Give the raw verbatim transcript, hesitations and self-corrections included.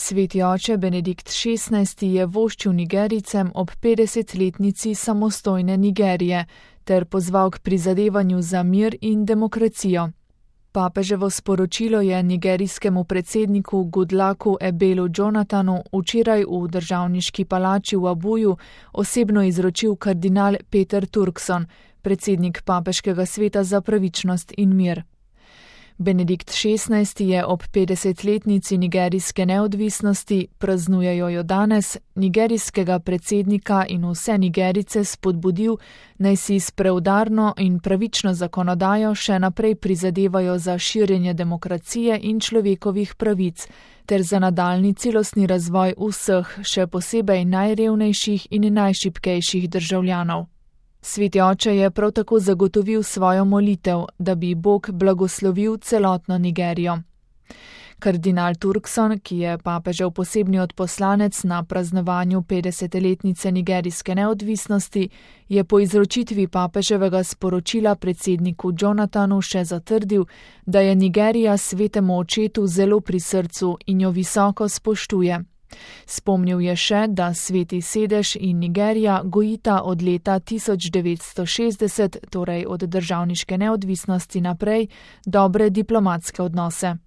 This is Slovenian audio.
Sveti oče Benedikt šestnajsti je voščil Nigerijcem ob petdesetletnici samostojne Nigerije ter pozval k prizadevanju za mir in demokracijo. Papeževo sporočilo je nigerijskemu predsedniku Goodlucku Ebelu Jonathanu včeraj v državniški palači v Abuju osebno izročil kardinal Peter Turkson, predsednik Papeškega sveta za pravičnost in mir. Benedikt šestnajsti je ob petdesetletnici nigerijske neodvisnosti, praznujejo jo danes, nigerijskega predsednika in vse Nigerice spodbudil, naj si s preudarno in pravično zakonodajo še naprej prizadevajo za širjenje demokracije in človekovih pravic ter za nadaljnji celostni razvoj vseh, še posebej najrevnejših in najšibkejših državljanov. Sveti oče je prav tako zagotovil svojo molitev, da bi Bog blagoslovil celotno Nigerijo. Kardinal Turkson, ki je papežev posebni odposlanec na praznovanju petdesetletnice nigerijske neodvisnosti, je po izročitvi papeževega sporočila predsedniku Jonathanu še zatrdil, da je Nigerija svetemu očetu zelo pri srcu in jo visoko spoštuje. Spomnil je še, da Sveti sedež in Nigerija gojita od leta tisoč devetsto šestdeset, torej od državniške neodvisnosti naprej, dobre diplomatske odnose.